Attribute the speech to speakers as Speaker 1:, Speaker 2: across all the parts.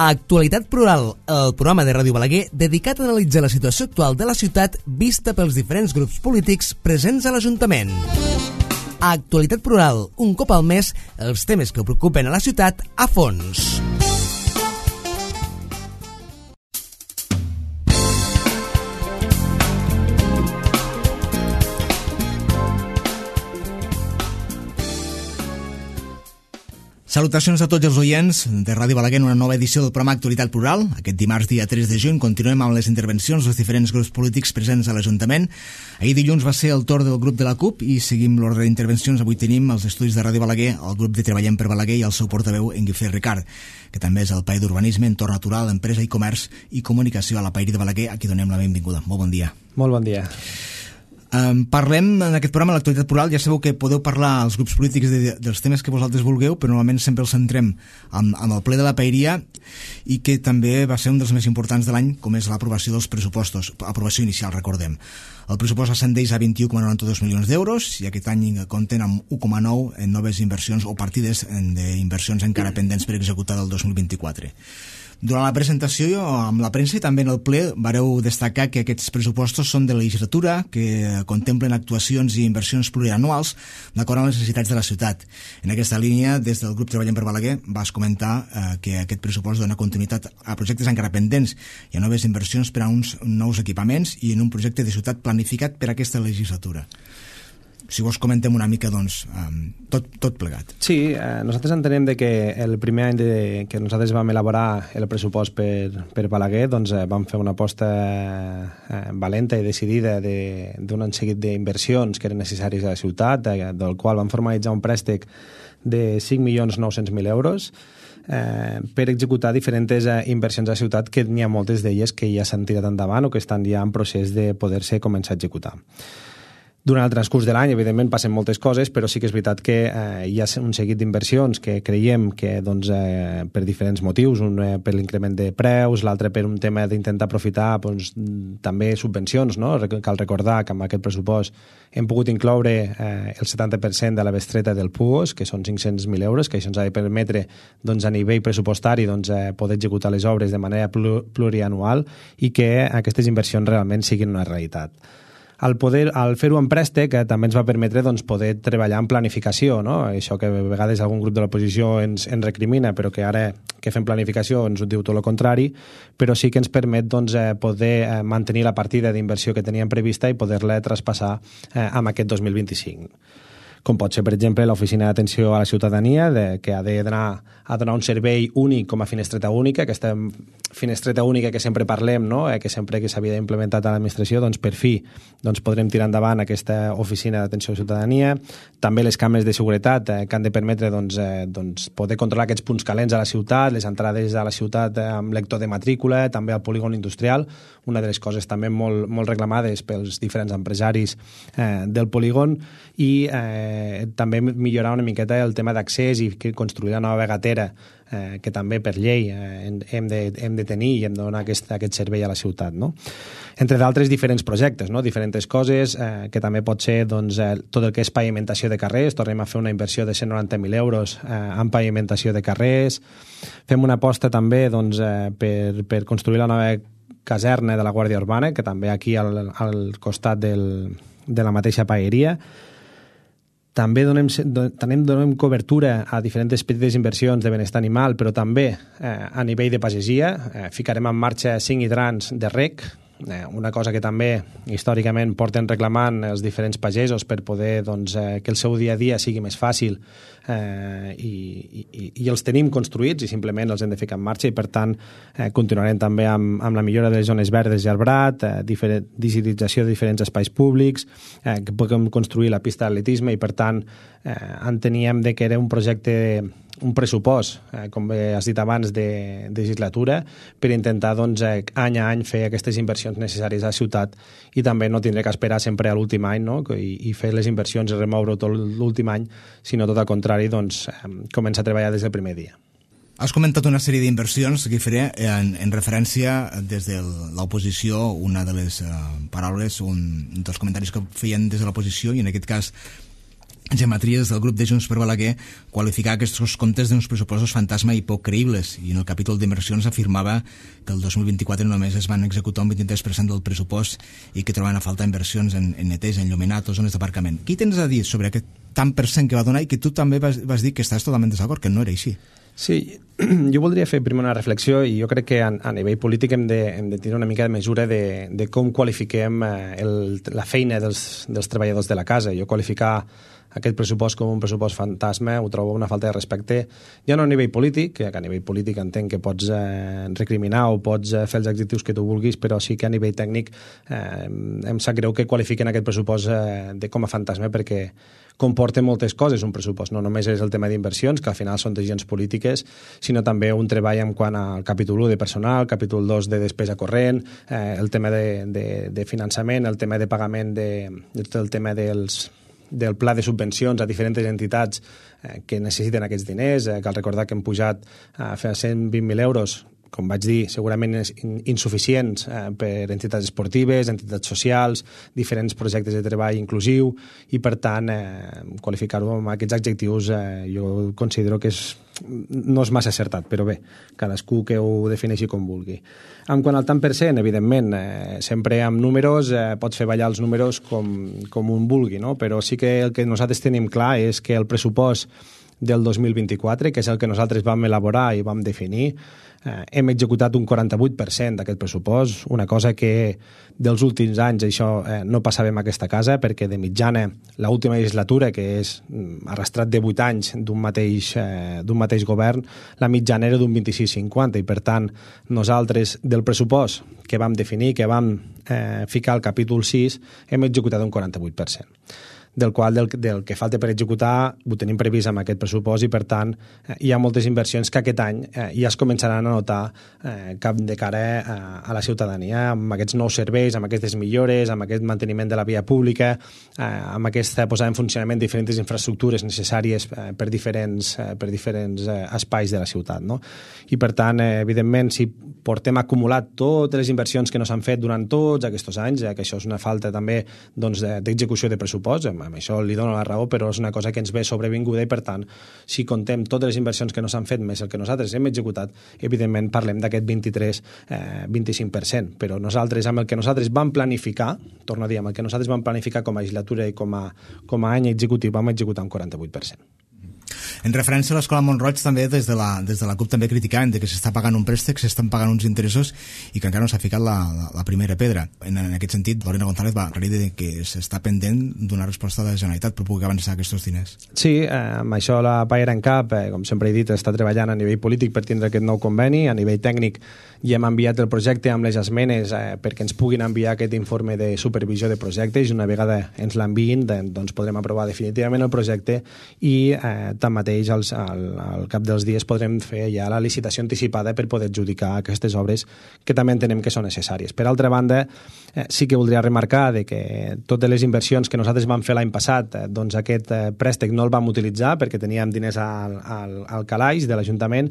Speaker 1: Actualitat Plural, el programa de Ràdio Balaguer dedicat a analitzar la situació actual de la ciutat vista pels diferents grups polítics presents a l'Ajuntament. Actualitat Plural, un cop al mes, els temes que preocupen a la ciutat a fons. Salutacions a tots els oients de Ràdio Balaguer en una nova edició del programa Actualitat Plural. Aquest dimarts, dia 3 de juny, continuem amb les intervencions dels diferents grups polítics presents a l'Ajuntament. Ahir dilluns va ser el torn del grup de la CUP i seguim l'ordre d'intervencions. Avui tenim els estudis de Ràdio Balaguer, el grup de Treballem per Balaguer i el seu portaveu, en Guifré Ricard, que també és el paer d'Urbanisme, Entorn Natural, Empresa i Comerç i Comunicació a la Pairi de Balaguer, a qui donem la benvinguda. Molt bon dia.
Speaker 2: Molt bon dia.
Speaker 1: Parlem en aquest programa, l'Actualitat Plural. Ja sabeu que podeu parlar als grups polítics dels temes que vosaltres vulgueu, però normalment sempre els centrem amb el ple de la Paeria, i que també va ser un dels més importants de l'any, com és l'aprovació dels pressupostos, aprovació inicial, recordem. El pressupost ascendeix a 21,92 milions d'euros i aquest any compten amb 1,9 en noves inversions o partides d'inversions encara pendents per executar del 2024. Durant la presentació amb la premsa i també en el ple vareu destacar que aquests pressupostos són de legislatura, que contemplen actuacions i inversions plurianuals d'acord amb les necessitats de la ciutat. En aquesta línia, des del grup Treballem per Balaguer, vas comentar que aquest pressupost dona continuïtat a projectes encara pendents i a noves inversions per a uns nous equipaments i en un projecte de ciutat planificat per a aquesta legislatura. Si vos comentem una mica, doncs, tot plegat.
Speaker 2: Sí, nosaltres entenem que el primer any que nosaltres vam elaborar el pressupost per Balaguer, doncs vam fer una aposta valenta i decidida d'un seguit d'inversions que eren necessàries a la ciutat, del qual vam formalitzar un préstec de 5.900.000 euros per executar diferents inversions a la ciutat, que n'hi ha moltes d'elles que ja s'han tirat endavant o que estan ja en procés de poder-se començar a executar. Durant el transcurs de l'any, evidentment, passen moltes coses, però sí que és veritat que hi ha un seguit d'inversions que creiem que, doncs, per diferents motius, un per l'increment de preus, l'altre per un tema d'intentar aprofitar doncs, també subvencions, no? Cal recordar que amb aquest pressupost hem pogut incloure el 70% de la bestreta del PUOS, que són 500.000 euros, que això ens ha de permetre, doncs, a nivell pressupostari, doncs, poder executar les obres de manera plurianual i que aquestes inversions realment siguin una realitat. Al fer-ho en préstec també ens va permetre doncs, poder treballar en planificació, no? Això que a vegades algun grup de l'oposició ens recrimina, però que ara que fem planificació ens ho diu tot el contrari, però sí que ens permet doncs, poder mantenir la partida d'inversió que teníem prevista i poder-la traspassar amb aquest 2025. Com pot ser, per exemple, l'Oficina d'Atenció a la Ciutadania, que ha de donar un servei únic com a finestreta única, aquesta finestreta única que sempre parlem, no? Que sempre que s'havia implementat a l'administració, doncs per fi podrem tirar endavant aquesta Oficina d'Atenció a la Ciutadania. També les càmeres de seguretat que han de permetre poder controlar aquests punts calents a la ciutat, les entrades a la ciutat amb lector de matrícula, també al polígon industrial, una de les coses també molt reclamades pels diferents empresaris del polígon, i també millorar una miqueta el tema d'accés i construir la nova gatera que també per llei hem de tenir i hem de donar aquest servei a la ciutat, no? Entre d'altres diferents projectes, no? Diferents coses que també pot ser doncs, tot el que és pavimentació de carrers. Tornem a fer una inversió de 190.000 euros en pavimentació de carrers. Fem una aposta també doncs, per construir la nova caserna de la Guàrdia Urbana, que també aquí al costat de la mateixa paeria. També donem cobertura a diferents petites inversions de benestar animal, però també a nivell de pagesia. Ficarem en marxa 5 hidrants de reg, una cosa que també històricament porten reclamant els diferents pagesos per poder que el seu dia a dia sigui més fàcil, i els tenim construïts i simplement els hem de ficar en marxa, i per tant continuarem també amb la millora de les zones verdes i arbrat, digitalització de diferents espais públics, que puguem construir la pista d'atletisme, i per tant enteníem que era un projecte, un pressupost, com has dit abans, de legislatura, per intentar any a any fer aquestes inversions necessàries a la ciutat i també no tindre que esperar sempre a l'últim any, no? I fer les inversions i remoure-ho tot l'últim any, sinó tot al contrari, començar a treballar des del primer dia.
Speaker 1: Has comentat una sèrie d'inversions, Guifré, en referència des de l'oposició. Una de les paraules, un dels comentaris que feien des de l'oposició, i en aquest cas Gematries del grup de Junts per Balaguer qualificar aquests comptes d'uns pressupostos fantasma i poc creïbles, i en el capítol d'inversions afirmava que el 2024 només es van executar un 23% del pressupost i que trobaven a falta inversions en neteja, en enllumenat o zones d'aparcament. Què tens a dir sobre aquest tant per cent que va donar i que tu també vas dir que estàs totalment desacord, que no era així?
Speaker 2: Sí, jo voldria fer primer una reflexió i jo crec que a nivell polític hem de tenir una mica de mesura de com qualifiquem la feina dels treballadors de la casa. Jo qualificar aquest pressupost com un pressupost fantasma ho trobo una falta de respecte, ja no a nivell polític, que a nivell polític entenc que pots recriminar o pots fer els adjectius que tu vulguis, però sí que a nivell tècnic em sap greu que qualifiquen aquest pressupost com a fantasma, perquè comporta moltes coses un pressupost, no només és el tema d'inversions, que al final són decisions polítiques, sinó també un treball en quant al capítol 1 de personal, capítol 2 de despesa corrent, el tema de finançament, el tema de pagament, el tema del pla de subvencions a diferents entitats que necessiten aquests diners. Cal recordar que hem pujat a fer 120.000 euros, com vaig dir, segurament insuficients per entitats esportives, entitats socials, diferents projectes de treball inclusiu, i per tant qualificar-ho amb aquests adjectius jo considero que no és massa acertat, però bé, cadascú que ho defineixi com vulgui. En quant al tant per cent, evidentment, sempre amb números pots fer ballar els números com un vulgui, no? Però sí que el que nosaltres tenim clar és que el pressupost del 2024, que és el que nosaltres vam elaborar i vam definir, hem executat un 48% d'aquest pressupost, una cosa que dels últims anys això no passava en aquesta casa, perquè de mitjana l'última legislatura, que és arrastrat de 8 anys d'un mateix govern, la mitjana era d'un 26-50, i per tant nosaltres del pressupost que vam definir, que vam ficar al capítol 6, hem executat un 48%. Del qual del que falta per executar ho tenim previst amb aquest pressupost, i per tant hi ha moltes inversions que aquest any ja es començaran a notar de cara a la ciutadania, amb aquests nous serveis, amb aquestes millores, amb aquest manteniment de la via pública, amb aquesta posada en funcionament de diferents infraestructures necessàries per diferents espais de la ciutat, no? I per tant, evidentment, si portem acumulat totes les inversions que no s'han fet durant tots aquests anys, que això és una falta també d'execució de pressupost, amb això li dono la raó, però és una cosa que ens ve sobrevinguda, i per tant, si contem totes les inversions que no s'han fet més el que nosaltres hem executat, evidentment parlem d'aquest 23-25%, però nosaltres, amb el que nosaltres vam planificar, torno a dir, amb el que nosaltres vam planificar com a legislatura i com a any executiu, vam executar un 48%.
Speaker 1: En referència a l'Escola Mont-roig, també des de la CUP també criticant que s'està pagant un préstec, s'estan pagant uns interessos i que encara no s'ha ficat la primera pedra. En aquest sentit, Lorena González va aclarir que s'està pendent d'una resposta de la Generalitat per poder avançar aquests diners.
Speaker 2: Sí, amb això la Paera en Cap, com sempre he dit, està treballant a nivell polític per tindre aquest nou conveni. A nivell tècnic ja hem enviat el projecte amb les esmenes perquè ens puguin enviar aquest informe de supervisió de projectes, i una vegada ens l'enviïn doncs podrem aprovar definitivament el projecte, i tanmateix al cap dels dies podrem fer ja la licitació anticipada per poder adjudicar aquestes obres que també entenem que són necessàries. Per altra banda, sí que voldria remarcar que totes les inversions que nosaltres vam fer l'any passat, doncs aquest préstec no el vam utilitzar perquè teníem diners al calaix de l'Ajuntament,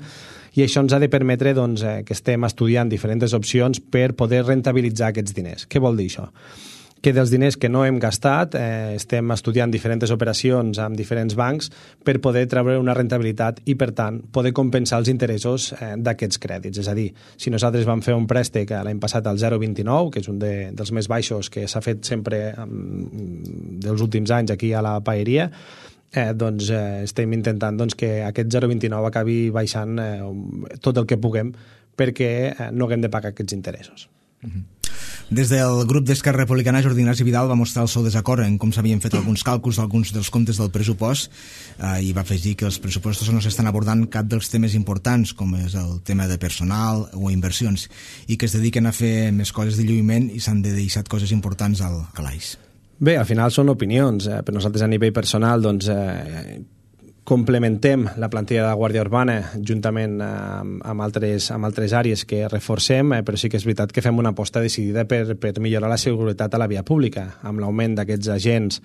Speaker 2: i això ens ha de permetre que estem estudiant diferents opcions per poder rentabilitzar aquests diners. Què vol dir això? Que dels diners que no hem gastat estem estudiant diferents operacions amb diferents bancs per poder treure una rentabilitat i, per tant, poder compensar els interessos d'aquests crèdits. És a dir, si nosaltres vam fer un préstec l'any passat al 0,29, que és un dels més baixos que s'ha fet sempre dels últims anys aquí a la Paeria, doncs estem intentant que aquest 0,29 acabi baixant tot el que puguem perquè no haguem de pagar aquests interessos.
Speaker 1: Des del grup d'Esquerra Republicana, Jordi Ignasi Vidal va mostrar el seu desacord en com s'havien fet alguns càlculs d'alguns dels comptes del pressupost i va afegir que els pressupostos no s'estan abordant cap dels temes importants, com és el tema de personal o inversions, i que es dediquen a fer més coses de lluïment i s'han de deixar coses importants al calaix.
Speaker 2: Bé, al final són opinions. Per nosaltres a nivell personal complementem la plantilla de la Guàrdia Urbana juntament amb altres àrees que reforcem, però sí que és veritat que fem una aposta decidida per millorar la seguretat a la via pública, amb l'augment d'aquests agents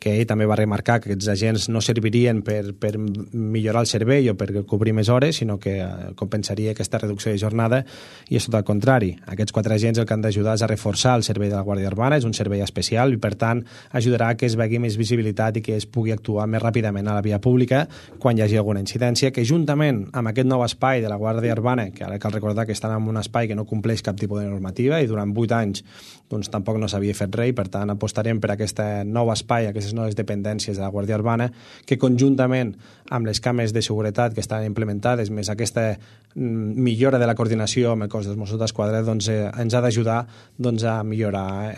Speaker 2: que ell també va remarcar que aquests agents no servirien per millorar el servei o per cobrir més hores, sinó que compensaria aquesta reducció de jornada, i és tot el contrari. Aquests 4 agents el que han d'ajudar és a reforçar el servei de la Guàrdia Urbana, és un servei especial i per tant ajudarà a que es vegi més visibilitat i que es pugui actuar més ràpidament a la via pública quan hi hagi alguna incidència, que juntament amb aquest nou espai de la Guàrdia Urbana, que ara cal recordar que estan en un espai que no compleix cap tipus de normativa i durant 8 anys doncs tampoc no s'havia fet res, per tant apostarem per aquest nou espai, aquestes noves dependències de la Guàrdia Urbana, que conjuntament amb les càmeres de seguretat que estan implementades, més aquesta millora de la coordinació amb el cos dels Mossos d'Esquadra, doncs, ens ha d'ajudar a millorar,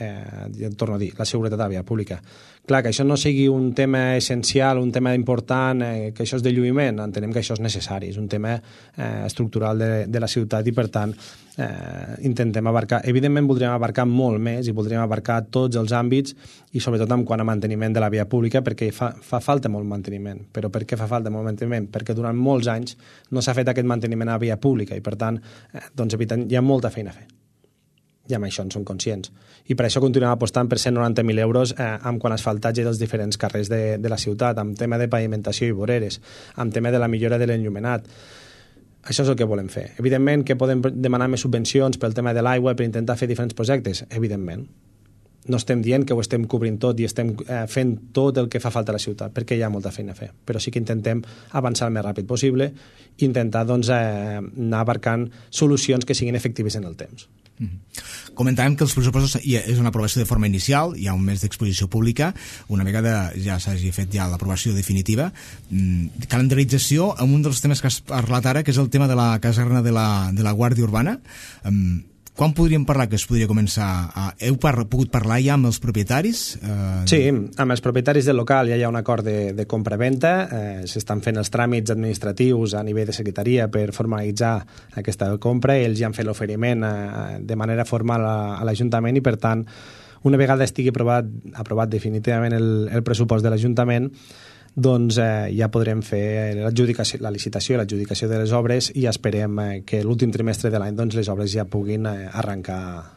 Speaker 2: torno a dir, la seguretat a la via pública. Clar, que això no sigui un tema essencial, un tema important, que això és de lluïment, entenem que això és necessari, és un tema estructural de la ciutat i, per tant, intentem abarcar. Evidentment, voldríem abarcar molt més i voldríem abarcar tots els àmbits i, sobretot, en quant a manteniment de la via pública, perquè fa falta molt manteniment. Però per què fa falta molt manteniment? Perquè durant molts anys no s'ha fet aquest manteniment a la via pública i, per tant, doncs, hi ha molta feina a fer. I amb això en som conscients. I per això continuem apostant per 190.000 euros amb quan asfaltatge dels diferents carrers de la ciutat, amb tema de pavimentació i voreres, amb tema de la millora de l'enllumenat. Això és el que volem fer. Evidentment que podem demanar més subvencions pel tema de l'aigua per intentar fer diferents projectes, evidentment. No estem dient que ho estem cobrint tot i estem fent tot el que fa falta a la ciutat, perquè hi ha molta feina a fer. Però sí que intentem avançar el més ràpid possible i intentar doncs, anar abarcant solucions que siguin efectives en el temps.
Speaker 1: Comentàvem que els pressupostos és una aprovació de forma inicial, hi ha un mes d'exposició pública, una vegada ja s'hagi fet ja l'aprovació definitiva, calendarització amb un dels temes que has parlat ara, que és el tema de la caserna de la Guàrdia Urbana. Quan podríem parlar que es podria començar? Heu pogut parlar ja amb els propietaris?
Speaker 2: Sí, amb els propietaris del local ja hi ha un acord de compra-venta, s'estan fent els tràmits administratius a nivell de secretaria per formalitzar aquesta compra, ells ja han fet l'oferiment de manera formal a l'Ajuntament i, per tant, una vegada estigui aprovat definitivament el pressupost de l'Ajuntament, doncs ja podrem fer la licitació i l'adjudicació de les obres i esperem que l'últim trimestre de l'any doncs, les obres ja puguin arrencar.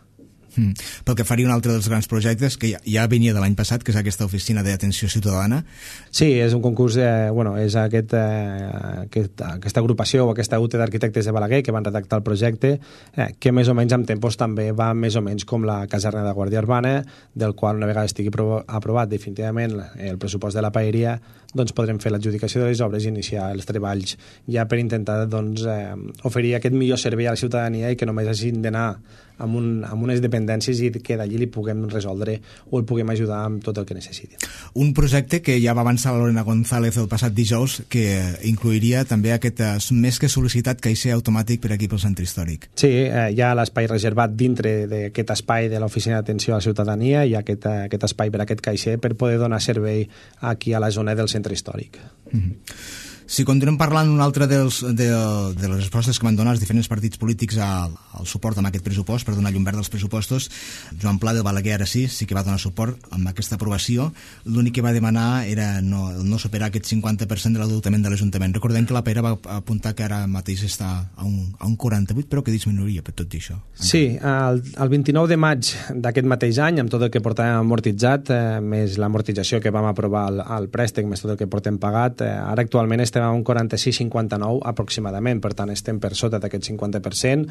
Speaker 1: Pel que faria un altre dels grans projectes que ja venia de l'any passat, que és aquesta oficina d'atenció ciutadana.
Speaker 2: Sí, és un concurs, és aquesta agrupació o aquesta UTE d'arquitectes de Balaguer que van redactar el projecte, que més o menys amb tempos també va més o menys com la caserna de Guàrdia Urbana, del qual una vegada estigui aprovat definitivament el pressupost de la paeria, doncs podrem fer l'adjudicació de les obres i iniciar els treballs ja per intentar doncs, oferir aquest millor servei a la ciutadania i que només hagin d'anar amb unes dependències i que d'allí li puguem resoldre o el puguem ajudar amb tot el que necessiti. Un
Speaker 1: projecte que ja va avançar la Lorena González el passat dijous, que incluiria també aquest més que sol·licitat caixer automàtic per aquí pel centre històric.
Speaker 2: Sí, hi ha l'espai reservat dintre d'aquest espai de l'Oficina d'Atenció a la Ciutadania, hi ha aquest espai per a aquest caixer per poder donar servei aquí a la zona del centre històric.
Speaker 1: Si continuem parlant un altre de les respostes que van donar els diferents partits polítics al suport amb aquest pressupost, per donar llum verda als pressupostos, Joan Pla del Balaguer ara sí que va donar suport amb aquesta aprovació. L'únic que va demanar era no superar aquest 50% de l'endeutament de l'Ajuntament. Recordem que la Pere va apuntar que ara mateix està a un 48%, però que disminuiria per tot això.
Speaker 2: Sí, el 29 de maig d'aquest mateix any, amb tot el que portàvem amortitzat, més l'amortització que vam aprovar al préstec, més tot el que portem pagat, ara actualment estem a un 46,59 aproximadament, per tant estem per sota d'aquest 50%.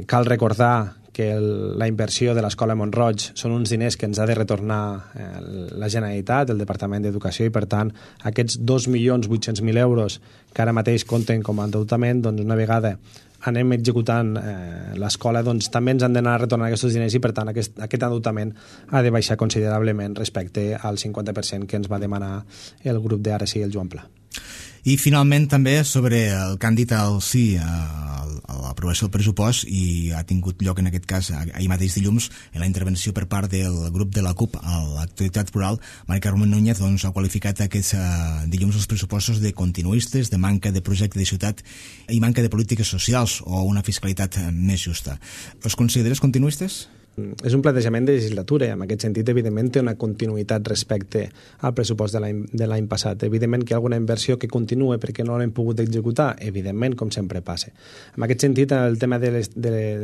Speaker 2: Cal recordar que la inversió de l'Escola Mont-roig són uns diners que ens ha de retornar la Generalitat, el Departament d'Educació, i per tant aquests 2.800.000 euros que ara mateix compten com a endeutament, doncs una vegada anem executant l'escola, doncs també ens han d'anar a retornar aquests diners i per tant aquest endeutament ha de baixar considerablement respecte al 50% que ens va demanar el grup d'Ara sí, el Joan Pla.
Speaker 1: I finalment també sobre el que han dit al sí a l'aprovació del pressupost, i ha tingut lloc en aquest cas ahir mateix dilluns en la intervenció per part del grup de la CUP a l'actualitat plural. Mari Carmen Núñez doncs, ha qualificat aquests dilluns els pressupostos de continuistes, de manca de projecte de ciutat i manca de polítiques socials o una fiscalitat més justa. Els consideres continuistes?
Speaker 2: És un plantejament de legislatura i en aquest sentit, evidentment, té una continuïtat respecte al pressupost de l'any passat. Evidentment que hi ha alguna inversió que continua perquè no l'hem pogut executar, evidentment, com sempre passa. En aquest sentit, el tema de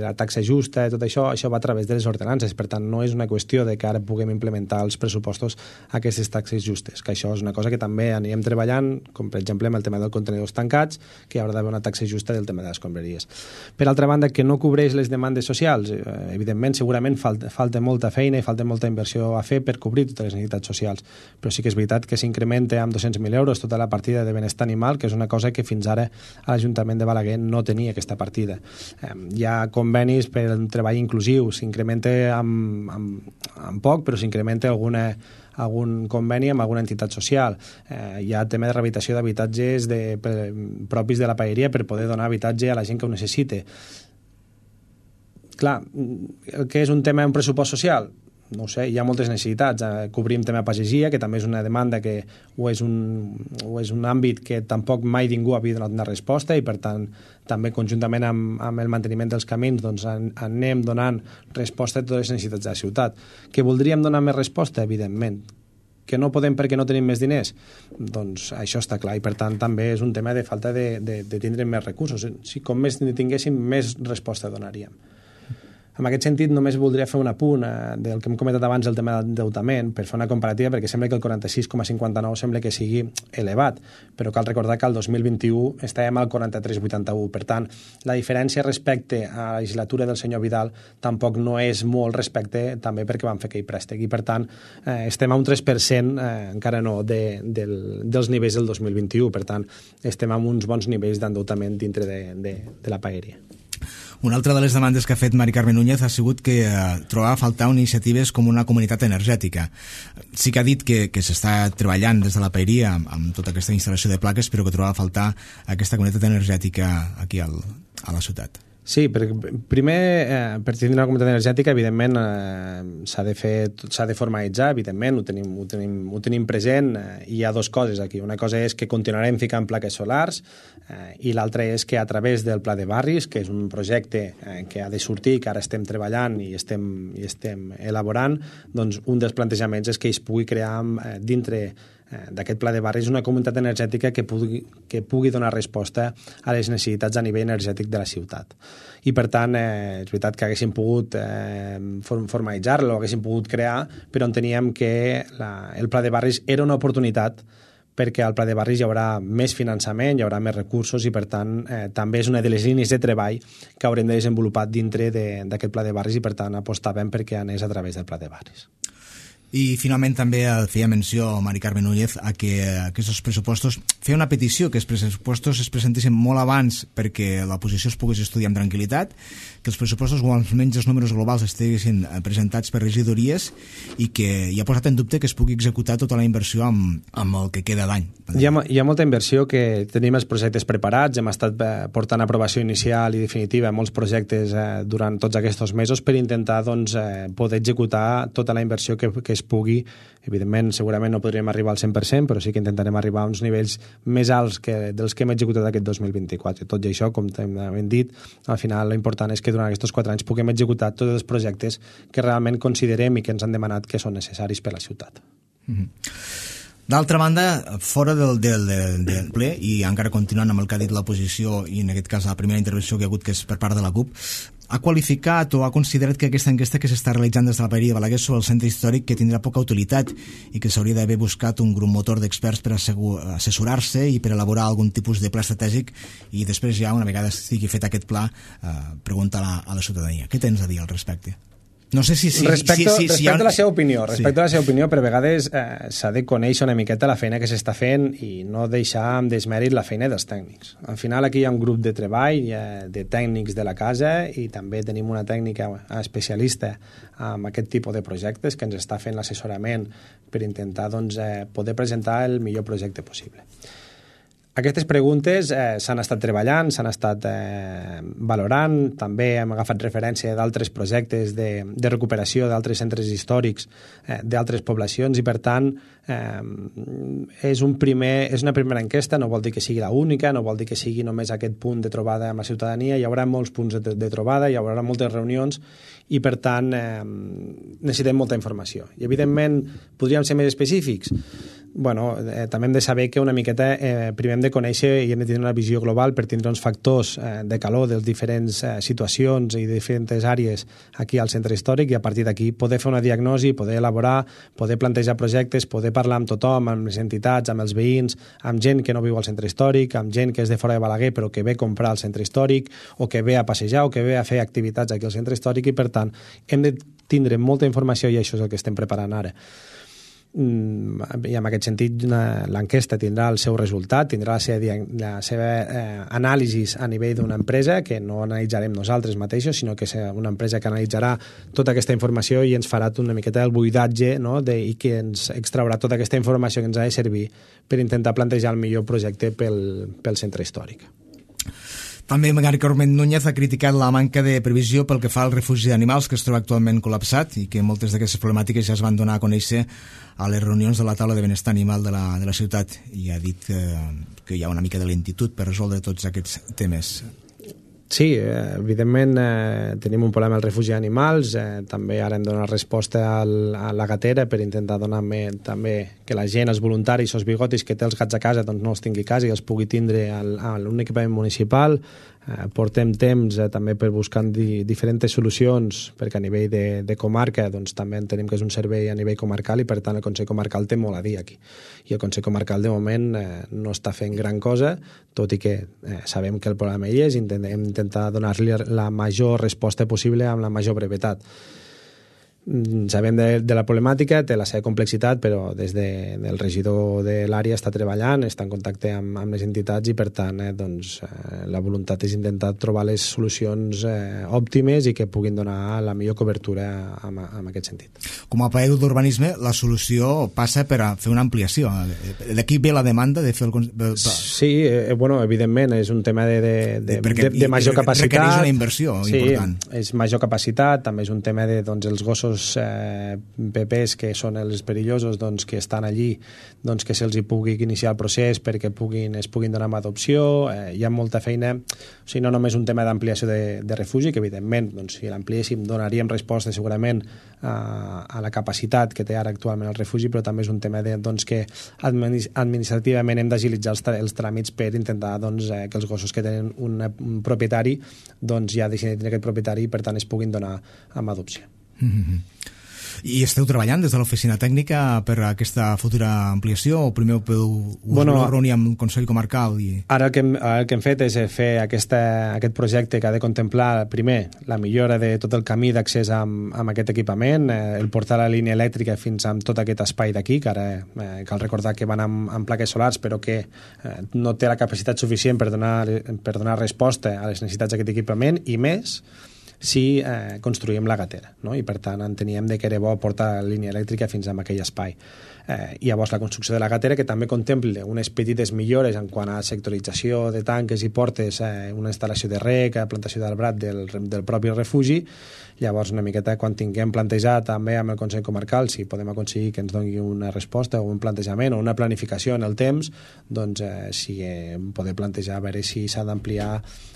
Speaker 2: la taxa justa i tot això va a través de les ordenances, per tant, no és una qüestió de que ara puguem implementar als pressupostos aquestes taxes justes, que això és una cosa que també anirem treballant, com per exemple amb el tema dels contenidors tancats, que hi haurà d'haver una taxa justa del tema de les escombraries. Per altra banda, que no cobreix les demandes socials, evidentment, segurament falta molta feina i falta molta inversió a fer per cobrir totes les necessitats socials, però sí que és veritat que s'incrementa amb 200.000 euros tota la partida de benestar animal, que és una cosa que fins ara a l'Ajuntament de Balaguer no tenia aquesta partida. Hi ha convenis per un treball inclusiu, s'incrementa amb poc, però s'incrementa algun conveni amb alguna entitat social. Hi ha tema de rehabilitació d'habitatges propis de la paeria per poder donar habitatge a la gent que ho necessite. Clar, el que és un tema, un pressupost social, no ho sé, hi ha moltes necessitats. Cobrim tema pagesia, que també és una demanda que és un àmbit que tampoc mai ningú havia donat una resposta i, per tant, també conjuntament amb el manteniment dels camins doncs, anem donant resposta a totes les necessitats de la ciutat. Que voldríem donar més resposta? Evidentment. Que no podem perquè no tenim més diners? Doncs això està clar i, per tant, també és un tema de falta de tindre més recursos. Si com més tinguéssim, més resposta donaríem. En aquest sentit, només voldria fer un apunt del que hem comentat abans, el tema d'endeutament, per fer una comparativa, perquè sembla que el 46,59 sembla que sigui elevat, però cal recordar que el 2021 estàvem al 43,81. Per tant, la diferència respecte a la legislatura del senyor Vidal tampoc no és molt respecte, també perquè vam fer aquell préstec, i per tant estem a un 3%, encara no, dels nivells del 2021. Per tant, estem amb uns bons nivells d'endeutament dintre de la paeria.
Speaker 1: Una altra de les demandes que ha fet Mari Carmen Núñez ha sigut que trobava a faltar iniciatives com una comunitat energètica. Sí que ha dit que s'està treballant des de la paeria amb tota aquesta instal·lació de plaques, però que trobava a faltar aquesta comunitat energètica aquí a la ciutat.
Speaker 2: Sí, primer, per tindre una comunitat energètica, evidentment, s'ha de formalitzar, evidentment, ho tenim present, i hi ha dues coses aquí. Una cosa és que continuarem ficant plaques solars, i l'altra és que a través del Pla de Barris, que és un projecte que ha de sortir, que ara estem treballant i estem elaborant, doncs un dels plantejaments és que es pugui crear dintre d'aquest pla de barris una comunitat energètica que pugui donar resposta a les necessitats a nivell energètic de la ciutat. I per tant, és veritat que haguéssim pogut formalitzar-lo, haguéssim pogut crear, però enteníem que el pla de barris era una oportunitat perquè al pla de barris hi haurà més finançament, hi haurà més recursos i, per tant, també és una de les línies de treball que haurem de desenvolupar dintre d'aquest pla de barris i, per tant, apostàvem perquè anés a través del pla de barris.
Speaker 1: I finalment també feia menció Mari Carmen Núñez a que aquests pressupostos, feia una petició que els pressupostos es presentessin molt abans perquè l'oposició es pogués estudiar amb tranquil·litat, que els pressupostos o almenys els números globals estiguessin presentats per regidories i que hi ha posat en dubte que es pugui executar tota la inversió amb el que queda d'any.
Speaker 2: Hi ha molta inversió, que tenim els projectes preparats, hem estat portant aprovació inicial i definitiva molts projectes durant tots aquests mesos per intentar poder executar tota la inversió que es pugui. Evidentment, segurament no podríem arribar al 100%, però sí que intentarem arribar a uns nivells més alts dels que hem executat aquest 2024. Tot i això, com hem dit, al final l'important és que durant aquests 4 anys puguem executar tots els projectes que realment considerem i que ens han demanat que són necessaris per a la ciutat.
Speaker 1: D'altra banda, fora del ple, i encara continuant amb el que ha dit l'oposició, i en aquest cas la primera intervenció que hi ha hagut, que és per part de la CUP, ha qualificat o ha considerat que aquesta enquesta que s'està realitzant des de la paeria de Balaguer sobre el centre històric que tindrà poca utilitat i que s'hauria d'haver buscat un grup motor d'experts per assessorar-se i per elaborar algun tipus de pla estratègic i després ja, una vegada estigui fet aquest pla, preguntar a la ciutadania. Què tens a dir al respecte? No sé si
Speaker 2: respecte a la seva opinió, per vegades s'ha de conèixer una miqueta la feina que s'està fent i no deixar amb desmèrit la feina dels tècnics. Al final aquí hi ha un grup de treball de tècnics de la casa i també tenim una tècnica especialista en aquest tipus de projectes que ens està fent l'assessorament per intentar poder presentar el millor projecte possible. Aquestes preguntes s'han estat treballant, s'han estat valorant, també hem agafat referència d'altres projectes de recuperació d'altres centres històrics d'altres poblacions i, per tant, és una primera enquesta, no vol dir que sigui l'única, no vol dir que sigui només aquest punt de trobada amb la ciutadania, hi haurà molts punts de trobada, hi haurà moltes reunions i, per tant, necessitem molta informació. I, evidentment, podríem ser més específics? Bueno, també hem de saber que una miqueta primer hem de conèixer i hem de tenir una visió global per tindre uns factors de calor de les diferents situacions i de diferents àrees aquí al centre històric i a partir d'aquí poder fer una diagnosi, poder elaborar, poder plantejar projectes, poder parlar amb tothom, amb les entitats, amb els veïns, amb gent que no viu al centre històric, amb gent que és de fora de Balaguer però que ve a comprar al centre històric o que ve a passejar o que ve a fer activitats aquí al centre històric i, per tant, hem de tindre molta informació i això és el que estem preparant ara. I en aquest sentit l'enquesta tindrà el seu resultat, tindrà la seva anàlisi a nivell d'una empresa que no analitzarem nosaltres mateixos, sinó que serà una empresa que analitzarà tota aquesta informació i ens farà una miqueta el buidatge, no? I que ens extraurà tota aquesta informació que ens ha de servir per intentar plantejar el millor projecte pel centre històric.
Speaker 1: També Magari Corment Núñez ha criticat la manca de previsió pel que fa al refugi d'animals que es troba actualment col·lapsat i que moltes d'aquestes problemàtiques ja es van donar a conèixer a les reunions de la taula de benestar animal de la ciutat i ha dit que hi ha una mica de lentitud per resoldre tots aquests temes.
Speaker 2: Sí, evidentment tenim un problema al refugi d'animals, també ara hem donat resposta a la gatera per intentar donar també que la gent, els voluntaris, els bigotis que té els gats a casa doncs no els tingui a casa i els pugui tindre a un equipament municipal. Portem temps també per buscar diferents solucions perquè a nivell de comarca doncs també entenem que és un servei a nivell comarcal i per tant el Consell Comarcal té molt a dir aquí i el Consell Comarcal de moment no està fent gran cosa, tot i que sabem que el problema hi és i intentem intentar donar-li la major resposta possible amb la major brevetat. Sabem de la problemàtica, té la seva complexitat, però des del regidor de l'àrea està treballant, està en contacte amb les entitats i, per tant, la voluntat és intentar trobar les solucions òptimes i que puguin donar la millor cobertura en aquest sentit.
Speaker 1: Com a paio d'urbanisme, la solució passa per a fer una ampliació. D'aquí ve la demanda de fer el...
Speaker 2: Sí, bueno, evidentment, és un tema de major capacitat.
Speaker 1: Requereix una inversió important.
Speaker 2: Sí, és major capacitat, també és un tema de els gossos pepers que són els perillosos que estan allí, que se'ls hi pugui iniciar el procés perquè es puguin donar amb adopció. Hi ha molta feina, o sigui, no només un tema d'ampliació de refugi, que evidentment si l'ampliéssim donaríem resposta segurament a la capacitat que té ara actualment el refugi, però també és un tema que administrativament hem d'agilitzar els tràmits per intentar que els gossos que tenen un propietari ja deixin de tenir aquest propietari i per tant es puguin donar amb adopció.
Speaker 1: I esteu treballant des de l'oficina tècnica per a aquesta futura ampliació o primer us reunir amb el Consell Comarcal?
Speaker 2: Ara el que hem fet és fer aquest projecte que ha de contemplar primer la millora de tot el camí d'accés amb aquest equipament, el portar la línia elèctrica fins a tot aquest espai d'aquí, que ara cal recordar que van amb plaques solars però que no té la capacitat suficient per donar resposta a les necessitats d'aquest equipament i més si construïm la gatera, no? I per tant enteníem que era bo portar la línia elèctrica fins a aquell espai. I llavors la construcció de la gatera, que també contempla unes petites millores en quant a sectorització de tanques i portes, una instal·lació de rec, plantació d'arbrat del propi refugi. Llavors una miqueta quan tinguem plantejat també amb el Consell Comarcal si podem aconseguir que ens doni una resposta o un plantejament o una planificació en el temps, si poder plantejar a veure si s'ha d'ampliar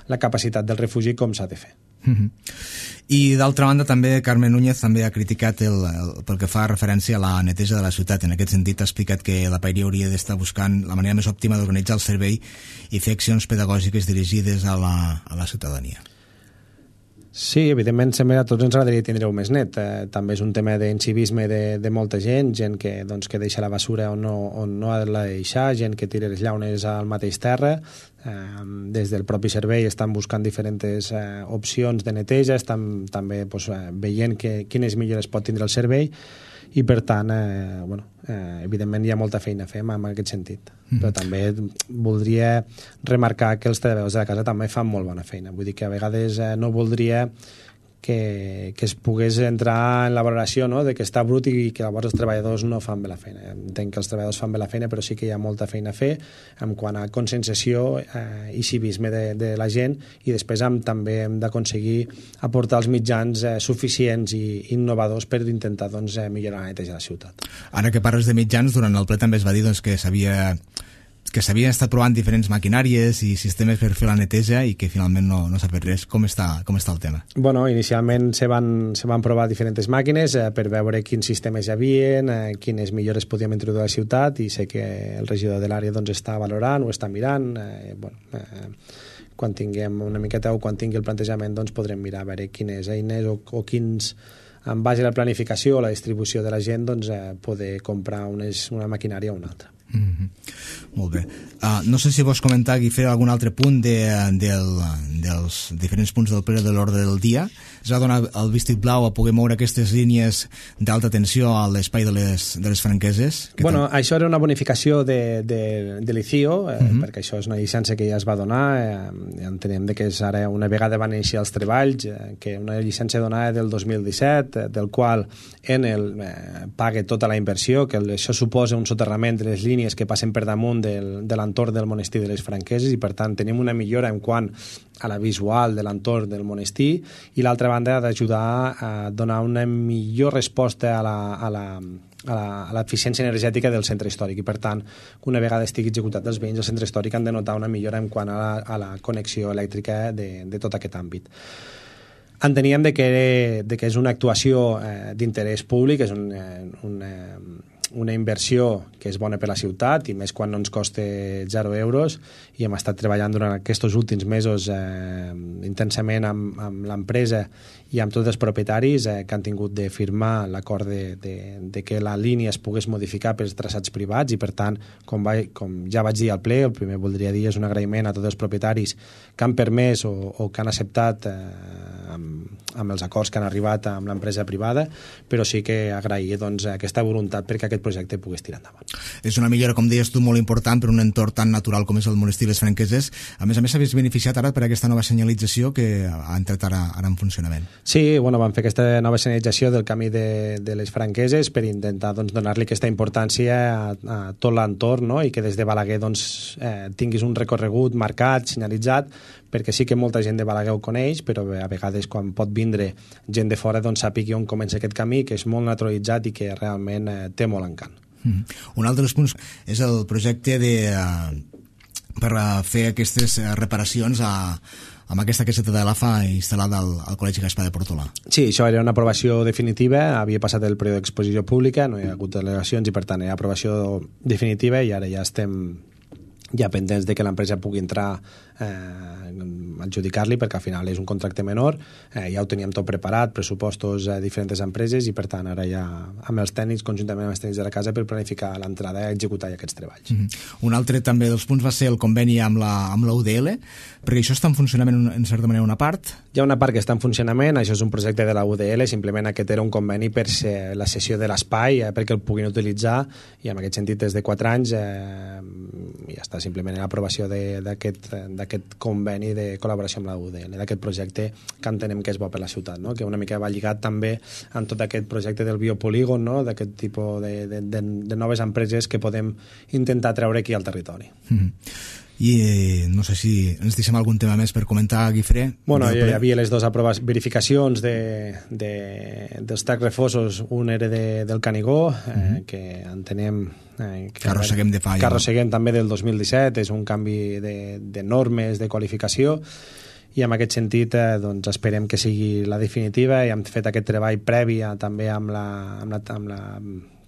Speaker 2: la capacitat del refugi com s'ha de fer.
Speaker 1: I d'altra banda també Carmen Núñez també ha criticat pel que fa referència a la neteja de la ciutat. En aquest sentit ha explicat que la paeria hauria d'estar buscant la manera més òptima d'organitzar el servei i fer accions pedagògiques dirigides a la ciutadania.
Speaker 2: Sí, evidentment sempre a tots ens agradaria tindre-ho més net. També és un tema d'incivisme de molta gent que deixa la basura on no ha de la deixar, gent que tira les llaunes al mateix terra. Des del propi servei estan buscant diferents opcions de neteja, estan també veient quines millores pot tindre el servei i per tant, evidentment hi ha molta feina a fer en aquest sentit. Però també voldria remarcar que els treballadors de la casa també fan molt bona feina. Vull dir que a vegades no voldria que es pogués entrar en la valoració, no?, de que està brut i que llavors els treballadors no fan bé la feina. Entenc que els treballadors fan bé la feina, però sí que hi ha molta feina a fer en quant a conscienciació i civisme de la gent, i després també hem d'aconseguir aportar els mitjans suficients i innovadors per intentar millorar la neteja de la ciutat.
Speaker 1: Ara que parles de mitjans, durant el ple també es va dir que s'havien estat provant diferents maquinàries i sistemes per fer la neteja i que finalment no s'ha fet res. Com està el tema?
Speaker 2: Bueno, inicialment se van provar diferents màquines per veure quins sistemes hi havia, quines millores podíem introduir a la ciutat, i sé que el regidor de l'àrea està valorant, ho està mirant. Quan tinguem una miqueta o quan tingui el plantejament podrem mirar a veure quines eines o quins, en base a la planificació o la distribució de la gent, poder comprar una maquinària o una altra.
Speaker 1: Molt bé. No sé si vols comentar, Guifré, algun altre punt dels diferents punts del ple de l'ordre del dia. Es va donar el vistiplau blau a poder moure aquestes línies d'alta tensió a l'espai de les Franqueses?
Speaker 2: Bueno, això era una bonificació de l'ICIO, perquè això és una llicència que ja es va donar. Entenem que és ara, una vegada van iniciar els treballs, que una llicència donada del 2017, del qual Enel paga tota la inversió, que això suposa un soterrament de les línies que passen per damunt de l'entorn del monestir de les Franqueses, i per tant tenim una millora en quant a la visual de l'entorn del monestir, i l'altra banda ha d'ajudar a donar una millor resposta a l'eficiència energètica del centre històric, i per tant, una vegada estigui executat, els veïns del centre històric han de notar una millora en quant a la connexió elèctrica de tot aquest àmbit. Enteníem que és una actuació d'interès públic, és una inversió que és bona per la ciutat, i més quan no ens costa 0 euros, i hem estat treballant durant aquests últims mesos intensament amb l'empresa i amb tots els propietaris que han tingut de firmar l'acord de que la línia es pogués modificar pels traçats privats, i per tant, com ja vaig dir al ple, el primer voldria dir és un agraïment a tots els propietaris que han permès o que han acceptat amb els acords que han arribat amb l'empresa privada, però sí que agrair aquesta voluntat perquè aquest projecte pogués tirar endavant.
Speaker 1: És una millora, com deies tu, molt important per un entorn tan natural com és el monestir de les Franqueses. A més, s'havies beneficiat ara per aquesta nova senyalització que ha entrat ara en funcionament.
Speaker 2: Sí, vam fer aquesta nova senyalització del camí de les Franqueses per intentar donar-li aquesta importància a tot l'entorn, no?, i que des de Balaguer tinguis un recorregut marcat, senyalitzat, perquè sí que molta gent de Balaguer ho coneix, però a vegades quan pot vindre gent de fora sàpiga on comença aquest camí, que és molt naturalitzat i que realment té molt encant.
Speaker 1: Un altre dels punts és el projecte per fer aquestes reparacions amb aquesta caseta de l'AFA instal·lada al Col·legi Gaspar de Portolà.
Speaker 2: Sí, això era una aprovació definitiva, havia passat el període d'exposició pública, no hi ha hagut delegacions i per tant era aprovació definitiva, i ara ja estem pendents de que l'empresa pugui entrar adjudicar-li, perquè al final és un contracte menor, ja ho teníem tot preparat, pressupostos a diferents empreses, i per tant ara ja amb els tècnics, conjuntament amb els tècnics de la casa, per planificar l'entrada i executar aquests treballs.
Speaker 1: Un altre també dels punts va ser el conveni amb la UDL, perquè això està en funcionament en certa manera una part?
Speaker 2: Hi ha una part que està en funcionament, això és un projecte de la UDL, simplement aquest era un conveni per la cessió de l'espai, perquè el puguin utilitzar, i en aquest sentit des de 4 anys ja està simplement l'aprovació d'aquest conveni de col·laboració amb la UDL, d'aquest projecte que entenem que és bo per la ciutat, no?, que una mica va lligat també amb tot aquest projecte del biopolígon, no?, d'aquest tipus de noves empreses que podem intentar treure aquí al territori.
Speaker 1: I no sé si ens deixem algun tema més per comentar, Guifré.
Speaker 2: Bueno, hi havia les dues verificacions dels tacs refosos. Un era del Canigó, que entenem
Speaker 1: que arrosseguem de fa.
Speaker 2: Que arrosseguem també del 2017, és un canvi de normes, de qualificació, i en aquest sentit esperem que sigui la definitiva, i hem fet aquest treball previ també amb la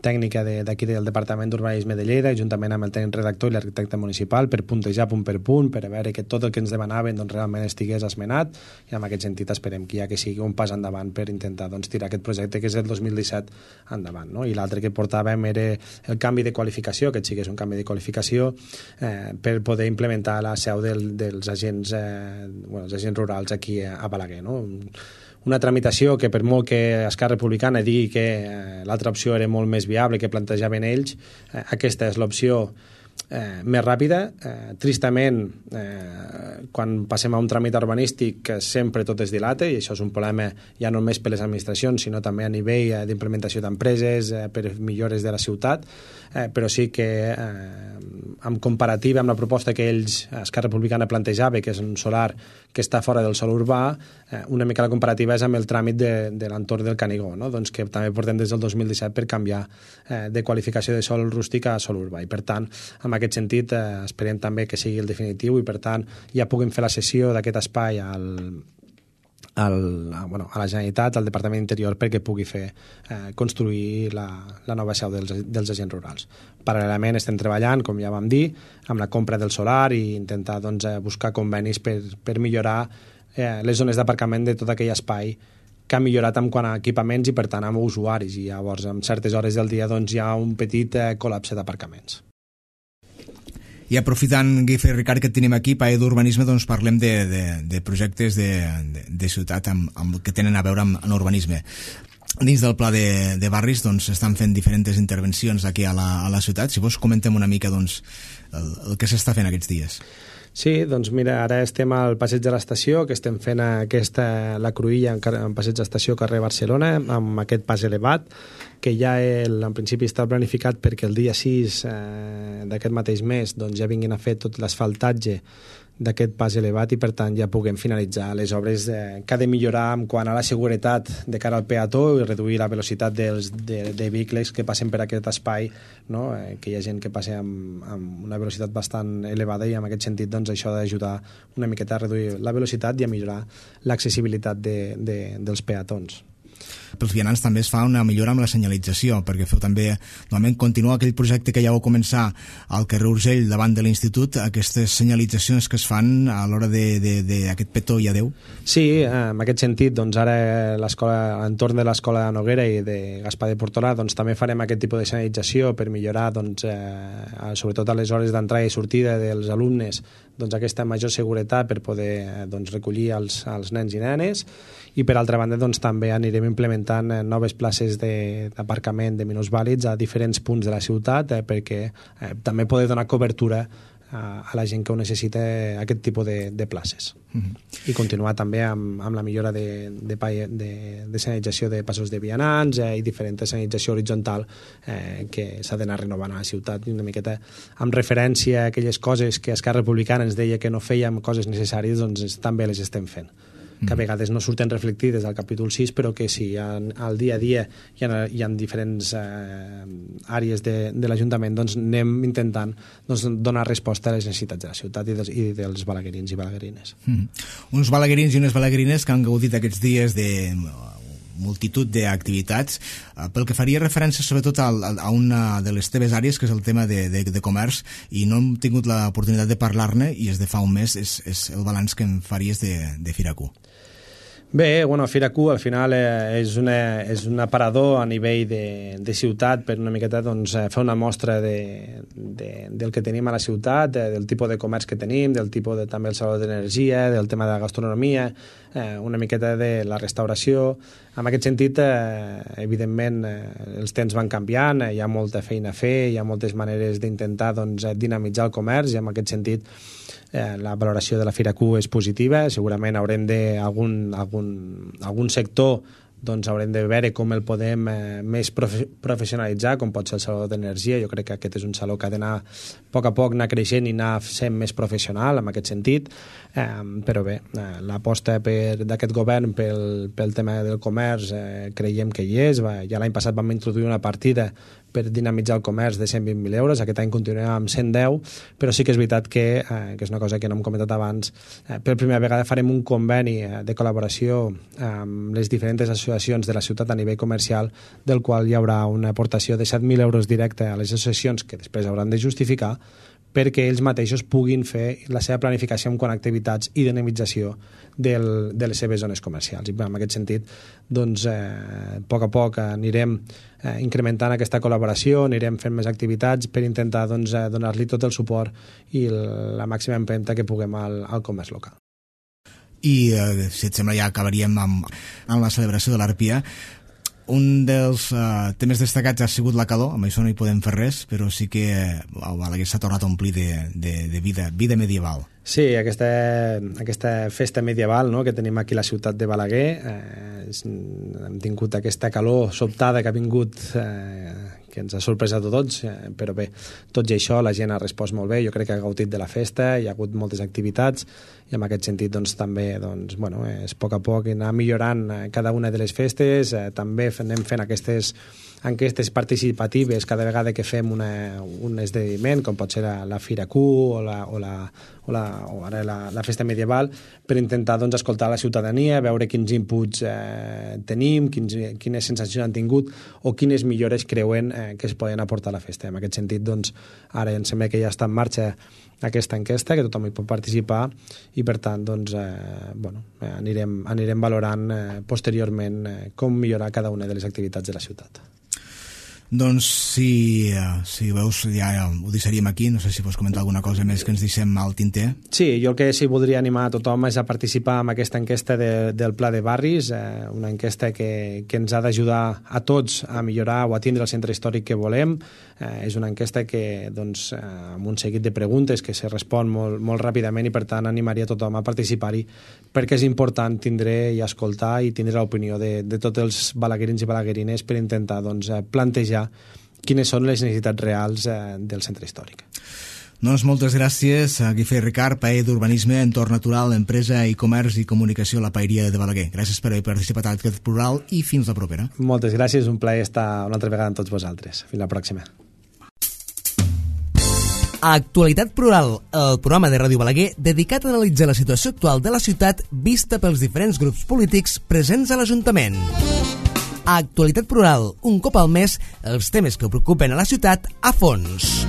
Speaker 2: tècnica d'aquí del Departament d'Urbanisme de Lleida, juntament amb el tècnic redactor i l'arquitecte municipal, per puntejar punt per punt, per veure que tot el que ens demanaven realment estigués esmenat, i en aquest sentit esperem que sigui un pas endavant per intentar tirar aquest projecte que és del 2017 endavant, no? I l'altre que portàvem era el canvi de qualificació, que sí que és un canvi de qualificació per poder implementar la seu dels agents rurals aquí a Balaguer, no? Una tramitació que per molt que Esquerra Republicana digui que l'altra opció era molt més viable que plantejaven ells, aquesta és l'opció més ràpida. Tristament, quan passem a un tràmit urbanístic sempre tot es dilata, i això és un problema ja no només per les administracions, sinó també a nivell d'implementació d'empreses, per millores de la ciutat, però sí que en comparativa amb la proposta que ells, Esquerra Republicana, plantejava, que és un solar que està fora del sòl urbà, una mica la comparativa és amb el tràmit de l'entorn del Canigó, no? Doncs que també portem des del 2017 per canviar de qualificació de sòl rústic a sòl urbà, i per tant, en aquest sentit, esperem també que sigui el definitiu, i per tant ja puguem fer la cessió d'aquest espai a la Generalitat, al Departament d'Interior, perquè pugui construir la nova seu dels agents rurals. Paral·lelament estem treballant, com ja vam dir, amb la compra del solar i intentar buscar convenis per millorar les zones d'aparcament de tot aquell espai que ha millorat en quant a equipaments i per tant amb usuaris, i llavors en certes hores del dia hi ha un petit col·lapse d'aparcaments.
Speaker 1: I aprofitant, Guife i Ricard, que et tenim aquí, Paella d'Urbanisme, doncs parlem de projectes de ciutat que tenen a veure amb urbanisme. Dins del pla de barris doncs estan fent diferents intervencions aquí a la ciutat. Si vols, comentem una mica doncs, el que s'està fent aquests dies.
Speaker 2: Sí, doncs mira, ara estem al Passeig de l'Estació, que estem fent la cruïlla en Passeig de l'Estació, carrer Barcelona, amb aquest pas elevat, que ja en principi està planificat perquè el dia 6 d'aquest mateix mes doncs ja vinguin a fer tot l'asfaltatge d'aquest pas elevat, i per tant ja puguem finalitzar les obres que ha de millorar en quant a la seguretat de cara al peató i reduir la velocitat de vehicles que passen per aquest espai, no? Que hi ha gent que passa amb una velocitat bastant elevada, i en aquest sentit doncs, això ha d'ajudar una miqueta a reduir la velocitat i a millorar l'accessibilitat dels peatons.
Speaker 1: Pels vianants també es fa una millora amb la senyalització, perquè feu també, normalment, continua aquell projecte que ja vau començar al carrer Urgell davant de l'institut, aquestes senyalitzacions que es fan a l'hora d'aquest petó i adeu.
Speaker 2: Sí, en aquest sentit, doncs ara entorn de l'escola de Noguera i de Gaspar de Portolà, doncs també farem aquest tipus de senyalització per millorar, doncs, sobretot a les hores d'entrada i sortida dels alumnes, doncs aquesta major seguretat per poder recollir els nens i nenes, i per altra banda doncs, també anirem implementant noves places d'aparcament de minusvàlids a diferents punts de la ciutat, perquè també poder donar cobertura a la gent que ho necessita, aquest tipus de places. I continuar també amb la millora de senyalització de passos de vianants i diferent senyalització horitzontal que s'ha d'anar renovant a la ciutat, una miqueta amb referència a aquelles coses que Esquerra Republicana ens deia que no fèiem coses necessàries, doncs també les estem fent, que a vegades no surten reflectides al capítol 6, però que sí, al dia a dia hi ha diferents àrees de l'Ajuntament, doncs anem intentant donar resposta a les necessitats de la ciutat i dels balaguerins i balaguerines.
Speaker 1: Uns balaguerins i unes balaguerines que han gaudit aquests dies de multitud d'activitats, pel que faria referència sobretot a una de les teves àrees, que és el tema de comerç, i no hem tingut l'oportunitat de parlar-ne, i és de fa un mes, és el balanç que em faries de Fira-Q.
Speaker 2: Bé, Fira Q al final és un aparador a nivell de ciutat per una miqueta fer una mostra del que tenim a la ciutat, del tipus de comerç que tenim, del tipus també el saló d'energia, del tema de la gastronomia, una miqueta de la restauració. En aquest sentit, evidentment, els temps van canviant, hi ha molta feina a fer, hi ha moltes maneres d'intentar dinamitzar el comerç, i en aquest sentit la valoració de la Fira Q és positiva. Segurament haurem algun sector haurem de veure com el podem més professionalitzar, com pot ser el saló d'energia. Jo crec que aquest és un saló que ha d'anar a poc anar creixent i anar sent més professional en aquest sentit, però bé, l'aposta d'aquest govern pel tema del comerç creiem que hi és. Ja l'any passat vam introduir una partida per dinamitzar el comerç de 120.000 euros, aquest any continuem amb 110, però sí que és veritat que és una cosa que no hem comentat abans, per primera vegada farem un conveni de col·laboració amb les diferents associacions de la ciutat a nivell comercial, del qual hi haurà una aportació de 7.000 euros directe a les associacions, que després hauran de justificar, perquè ells mateixos puguin fer la seva planificació en quant a activitats i dinamització de les seves zones comercials. I en aquest sentit, a poc anirem incrementant aquesta col·laboració, anirem fent més activitats per intentar donar-li tot el suport i la màxima empenta que puguem al comerç local.
Speaker 1: I si et sembla ja acabaríem amb la celebració de l'Arpia. un dels temes destacats ha sigut la calor, amb això no hi podem fer res, però sí que Balaguer s'ha tornat a omplir de vida medieval.
Speaker 2: Sí, aquesta festa medieval, no?, que tenim aquí a la ciutat de Balaguer, hem tingut aquesta calor sobtada que ha vingut, que ens ha sorprès a tots, però bé, tot i això la gent ha respost molt bé, jo crec que ha gaudit de la festa, hi ha hagut moltes activitats i en aquest sentit doncs, també és a poc a poc anar millorant cada una de les festes, també anem fent aquestes enquestes participatives cada vegada que fem un esdeveniment, com pot ser la Fira Q o ara la festa medieval, per intentar doncs, escoltar la ciutadania, veure quins inputs tenim, quines sensacions han tingut o quines millores creuen que es poden aportar a la festa. En aquest sentit, doncs, ara em sembla que ja està en marxa aquesta enquesta, que tothom hi pot participar i per tant doncs, anirem valorant posteriorment com millorar cada una de les activitats de la ciutat.
Speaker 1: Doncs si veus ja ho deixaríem aquí, no sé si vols comentar alguna cosa més que ens deixem al tinter.
Speaker 2: Sí, jo el que sí voldria animar a tothom és a participar en aquesta enquesta del Pla de Barris, una enquesta que ens ha d'ajudar a tots a millorar o a tindre el centre històric que volem. És una enquesta que doncs, amb un seguit de preguntes que se respon molt ràpidament i per tant animaria a tothom a participar-hi perquè és important tindre i escoltar i tindre l'opinió de tots els balaguerins i balaguerines per intentar doncs, plantejar quines són les necessitats reals del centre històric.
Speaker 1: Doncs moltes gràcies a Guifré Ricard, paer d'Urbanisme, Entorn Natural, Empresa i Comerç i Comunicació a la Paeria de Balaguer. Gràcies per haver participat a aquest plural i fins la propera.
Speaker 2: Moltes gràcies, un plaer estar una altra vegada amb tots vosaltres. Fins la pròxima.
Speaker 3: Actualitat Plural, el programa de Ràdio Balaguer dedicat a analitzar la situació actual de la ciutat vista pels diferents grups polítics presents a l'Ajuntament. Actualitat Plural, un cop al mes, els temes que preocupen a la ciutat a fons.